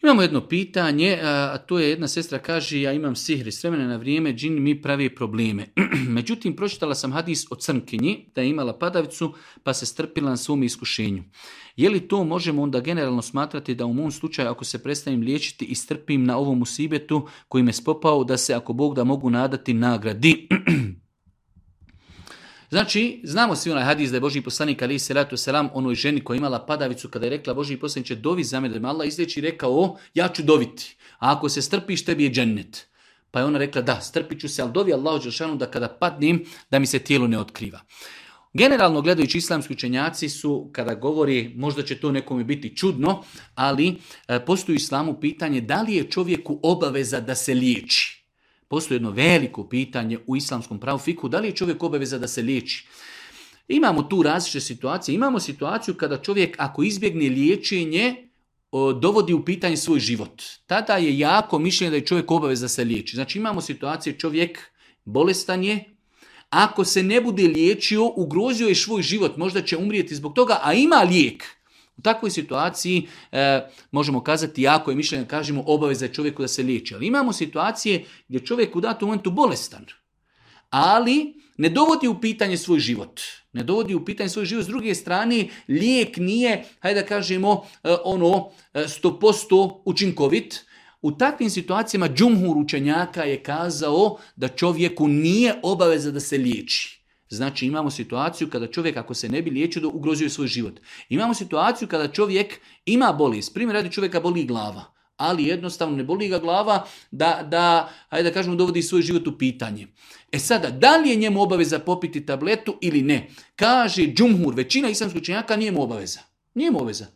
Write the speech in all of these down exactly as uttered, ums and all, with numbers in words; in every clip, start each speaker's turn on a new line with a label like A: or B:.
A: Imamo jedno pitanje, a to je jedna sestra kaže, ja imam sihr i s vremena na vrijeme džini mi pravi probleme. Međutim, pročitala sam hadis o crnkinji da je imala padavicu pa se strpila na svom iskušenju. Je li to možemo onda generalno smatrati da u mom slučaju ako se prestanem liječiti i strpim na ovom musibetu koji me spopao da se ako Bog da mogu nadati nagradi? Znači, znamo svi onaj hadis da je Božji poslanik alejhi selatu selam onoj ženi koja je imala padavicu kada je rekla Božji poslaniče dovi za mene da me Allah izliječi, rekao ja ću doviti, a ako se strpiš tebi je džennet. Pa je ona rekla da, strpit ću se, ali dovi Allahu dželešanu da kada padnem da mi se tijelo ne otkriva. Generalno gledajući islamski učenjaci su, kada govori, možda će to nekome biti čudno, ali e, postoji u islamu pitanje da li je čovjeku obaveza da se liječi. Postoji jedno veliko pitanje u islamskom pravu fiku, da li je čovjek obaveza da se liječi. Imamo tu različite situacije. Imamo situaciju kada čovjek ako izbjegne liječenje, o, dovodi u pitanje svoj život. Tada je jako mišljenje da je čovjek obaveza da se liječi. Znači imamo situacije čovjek bolestan je, ako se ne bude liječio, ugrozio je svoj život, možda će umrijeti zbog toga, a ima lijek. U takvoj situaciji e, možemo kazati, jako je mišljenje, kažemo obaveza je čovjeku da se liječi. Ali imamo situacije gdje čovjek u datom momentu bolestan, ali ne dovodi u pitanje svoj život. Ne dovodi u pitanje svoj život. S druge strane, lijek nije, hajde da kažemo, e, ono sto posto učinkovit. U takvim situacijama džumhur učenjaka je kazao da čovjeku nije obaveza da se liječi. Znači imamo situaciju kada čovjek ako se ne bi liječio da ugrozio svoj život. Imamo situaciju kada čovjek ima bolest. Primjer radi čovjeka boli glava, ali jednostavno ne boli ga glava da, da hajde da kažemo, dovodi svoj život u pitanje. E sada, da li je njemu obaveza popiti tabletu ili ne? Kaže džumhur, većina islamskih učenjaka nije mu obaveza. Nije mu obaveza.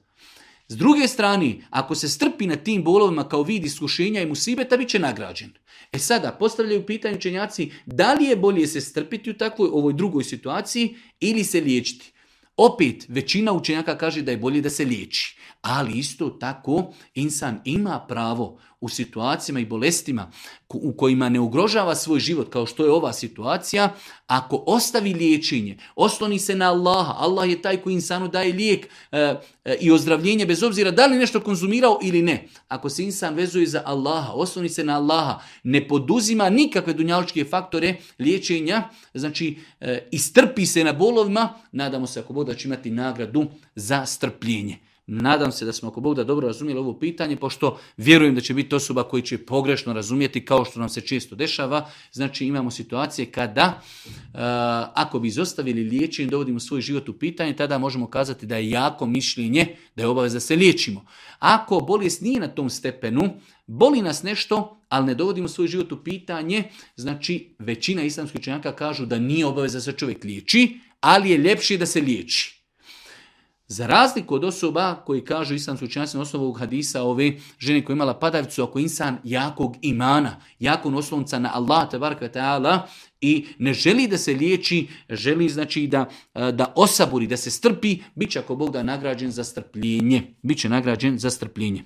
A: S druge strane, ako se strpi na tim bolovima kao vid iskušenja i musibeta, bit će nagrađen. E sada, postavljaju pitanje učenjaci, da li je bolje se strpiti u takvoj ovoj drugoj situaciji ili se liječiti? Opet, većina učenjaka kaže da je bolje da se liječi. Ali isto tako, insan ima pravo u situacijama i bolestima u kojima ne ugrožava svoj život, kao što je ova situacija, ako ostavi liječenje, osloni se na Allaha, Allah je taj koji insanu daje lijek e, e, i ozdravljenje bez obzira da li nešto konzumirao ili ne. Ako se insan vezuje za Allaha, osloni se na Allaha, ne poduzima nikakve dunjalučke faktore liječenja, znači e, istrpi se na bolovima, nadamo se ako Bog da će imati nagradu za strpljenje. Nadam se da smo ako Bog da dobro razumjeli ovo pitanje, pošto vjerujem da će biti osoba koji će pogrešno razumjeti kao što nam se često dešava. Znači imamo situacije kada uh, ako bi izostavili liječenje, dovodimo svoj život u pitanje, tada možemo kazati da je jako mišljenje da je obaveza da se liječimo. Ako bolest nije na tom stepenu, boli nas nešto, ali ne dovodimo svoj život u pitanje, znači većina islamskih učenjaka kažu da nije obaveza da se čovjek liječi, ali je ljepše da se liječi. Za razliku od osoba koji kažu islamski učenjaci na osnovu ovog hadisa ove žene koja je imala padavicu, ako insan jakog imana, jakog oslonca na Allah tebareke ve taala i ne želi da se liječi, želi znači da, da osaburi, da se strpi, bit će ako Bog da nagrađen za strpljenje. Biće nagrađen za strpljenje.